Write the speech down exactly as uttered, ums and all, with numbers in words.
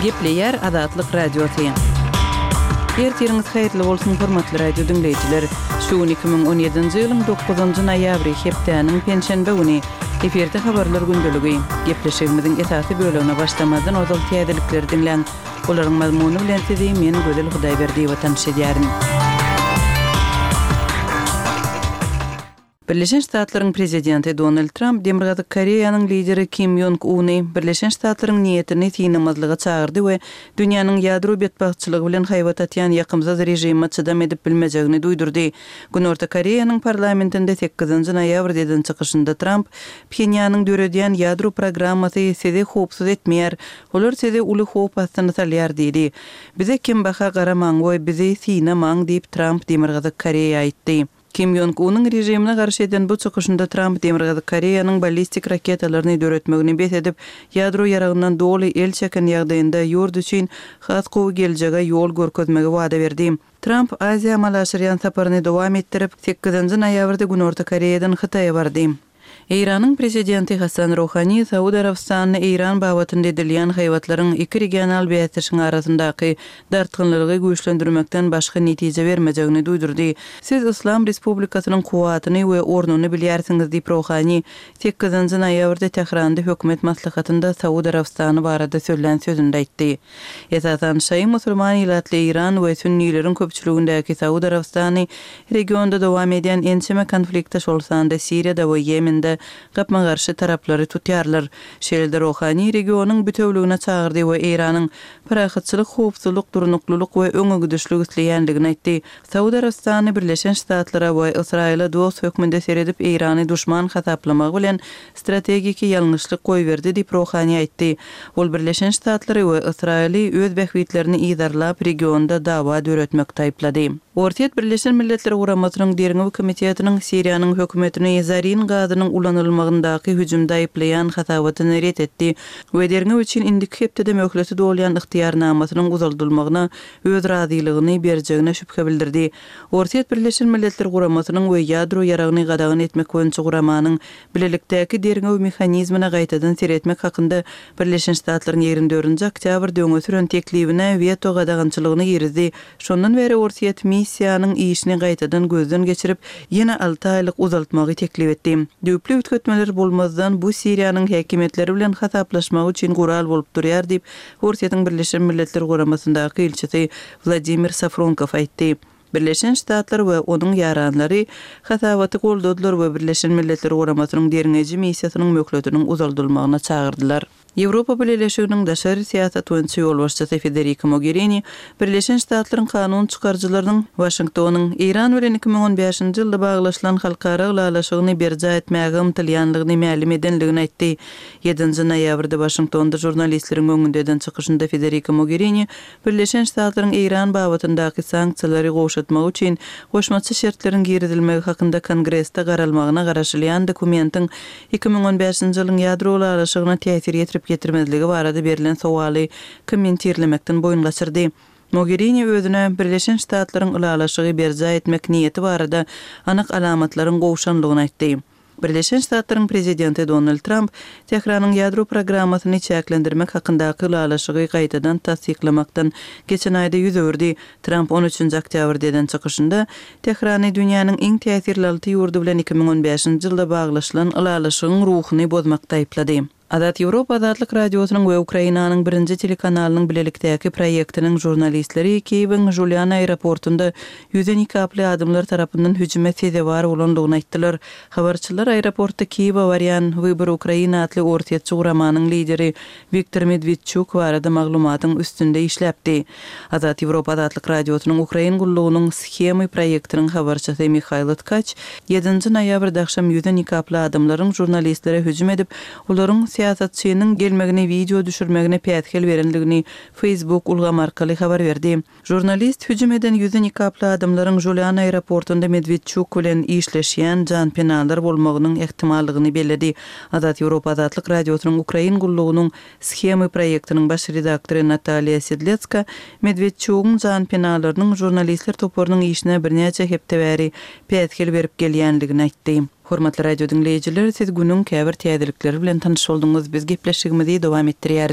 Gepleýär Azatlyk Radiosy. Ertiriňiz haýyrly bolsun, hormatly radio diňleýjiler! Şu gün iki müň on ýedinji ýylyň dokuzynjy noýabry, hepdäniň penşenbe güni. Efirde habarlar gündeligi. Gepleşigimiziň esasy bölegine başlamazdan ozal täzelikleri diňläň. Olaryň mazmuny bilen sizi men Gözel Hudaýberdiýewa tanyş edýärin. Birleşen Ştatlaryň prezidenti Donald Tramp Demirgazyk Koreýanyň lideri Kim Ýong Uny Birleşen Ştatlaryň niýetini synamazlyga çagyrdy we dünýäniň ýadro betbagtçylygy bilen haýbat atýan ýakymsyz režime çydam edip bilmejegini duýdurdy. Günorta Koreýanyň parlamentinde sekizinji noýabrda eden çykyşynda Tramp, Phenýanyň döredýän ýadro programmasy sizi howpsuz etmeýär, olar sizi uly howp astyna salýar diýdi. Bize kembaha garamaň we bizi synamaň diýip Tramp Demirgazyk Koreýa aýtdy. Kim Ýong Unyň režimine garşy eden bu çykyşynda Tramp Demirgazyk Koreýanyň ballistik raketalaryny döretmegini bes edip, ýadro ýaragyndan doly el çeken ýagdaýynda ýurt üçin has gowy geljege ýol görkezmegi wada berdi. Tramp Aziýa amala aşyrýan saparyny dowam etdirip, sekizinji noýabrda Günorta Koreýadan Hytaýa bardy. Eýranyň prezidenti Hasan Ruhani Saud Arabystanyny Eýran babatynda edilýän haýbatlaryň iki regional bäsdeşiň arasyndaky dartgynlylygy güýçlendirmekden başga netije bermejegini duýdurdy. Siz Yslam Respublikasynyň kuwwatyny we ornuny bilýärsiňiz diýip Ruhani sekizinji noýabrda Tähranda hökümet maslahatynda Saud Arabystany barada sözlän sözünde aýtdy. Esasan şaýy musulman ilatly Eýran we sünnileriň köpçüligindäki Saud Arabystany regionda dowam edýän ençeme konflikte şol sanda Siriýada we Ýemende gapma-garşy taraplary tutýarlar. Şeýle-de Ruhani regionyň bütewligine çagyrdy we Eýranyň parahatçylyk, howpsuzlyk, durnuklylyk we öňegidişlik isleýändigini aýtdy. Saud Arabystany Birleşen Ştatlara we Ysraýyla dost hökmünde seredip Eýrany duşman hasaplamagy bilen strategiki ýalňyşlyk goýberdi diýip Ruhani aýtdy. Ol Birleşen Ştatlary we Ysraýyly öz bähbitlerini yzarlap regionda dawa döretmekde aýyplady. Orsýet Birleşen Milletler Guramasynyň Derňew komitetiniň Siriýanyň hökümetini zarin gazynyň ulanylmagyndaky hüjümde aýyplaýan hasabatyny ret etdi we derňew üçin indiki hepdede möhleti dolýan ygtyýarnamasynyň uzaldylmagyna öz razylygyny berjegine şübhe bildirdi. Orsýet Birleşen Milletler Guramasynyň we ýadro ýaragyny gadagan etmek boýunça guramanyň bilelikdäki derňew mehanizmine gaýtadan seretmek hakynda Birleşen Ştatlaryň ýigrimi dördünji oktýabrda öňe süren teklibine weto gadagançylygyny girizdi. Şondan bäri Orsýet missiýanyň işini gaýtadan gözden geçirip, ýene alty aýlyk uzaltmagy teklip etdi. Düýpli üýtgetmeler bolmazdan bu Siriýanyň häkimiýetleri bilen hasaplaşmagy üçin gural bolup durýar diýip, Orsýetiň Birleşen Milletler Guramasyndaky ilçisi Wladimir Safronkow aýtdy. Birleşen Ştatlar we onuň ýaranlary hasabaty goldadylar we Birleşen Milletler Guramasynyň derňeýji missiýasynyň möhletiniň uzaldylmagyna çagyrdylar. Ýewropa Bileleşiginiň daşary syýasat boýunça ýolbaşçysy Federika Mogherini Birleşen Ştatlaryň kanun çykaryjylarynyň Waşingtonyň Eýran bilen iki müň on bäşinji ýylda baglaşylan halkara ylalaşygyny berjaý etmäge ymtylýanlygyny mälim edenligini aýtdy. Ýedinji noýabrda Waşingtonda žurnalistleriň öňünde eden çykyşynda Federika Mogherini Birleşen Ştatlaryň Eýran babatyndaky sanksiýalary gowşatmagy üçin goşmaça şertleriň girizilmegi hakynda Kongresde garalmagyna garaşylýan dokumentiň iki müň on bäşinji ýylyň ýadro ylalaşygyna täsir ýetirip ýetirmezligi barada berlen sowaly kommentirlemekden boýun gaçyrdy. Mogherini özüne Birleşen Ştatlaryň ylalaşygy berjaý etmek niýeti barada anyk alamatlaryň gowşanlygyny aýtdy. Birleşen Ştatlaryň prezidenti Donald Tramp Tähranyň ýadro programmasyny çäklendirmek hakyndaky ylalaşygy gaýtadan tassyklamakdan geçen aýda ýüz öwürdi. Tramp on üçünji oktýabrda eden çykyşynda Tährany dünýäniň iň täsirli alty ýurdy bilen iki müň on bäşinji ýylda baglaşylan ylalaşygyň ruhuny bozmakda aýyplady. Azat Ýewropa Azatlyk Radiosynyň we Ukrainanyň birinji telekanalynyň bilelikdäki proýektiniň žurnalistleri Kiýewiň Žulýan aeroportunda ýüze nikaply adamlar tarapyndan hüjüme sezewar bolandygyny aýtdylar. Habarçylar aeroportda Kiýewe barýan Wybor Ukraina atly orsýetçi guramanyň lideri Wiktor Medwedçuk barada maglumatyň üstünde işläpdi. Azat Ýewropa Azatlyk Radiosynyň Ukrain gullugynyň Shemy proýektiniň habarçysy Mihaýlo Tkaç ýedinji noýabrda agşam ýüze nikaply adamlaryň žurnalistlere hüjüm edip, olaryň syýasatçynyň gelmegini wideo düşürmegine päsgel berendigini Facebook ulgamy arkaly habar berdi. Žurnalist hüjüm eden ýüzi nikaply adamlaryň Žulian aeroportunda Medwedçuk bilen işleşýän janpenalar bolmagynyň ähtimallygyny belledi. Azat Ýewropa Azatlyk Radiosynyň Ukrain gullugynyň Shemy proýektiniň baş redaktory Nataliýa Sedletska Medwedçugyň janpenalarynyň žurnalistler toparynyň işine birnäçe hepde bäri päsgel berip gelýändigini aýtdy. Hormatly radio diňleýjiler, siz günüň käbir täzelikleri bilen tanyş bolduňyz. Biz gepleşigimizi dowam etdirýäris.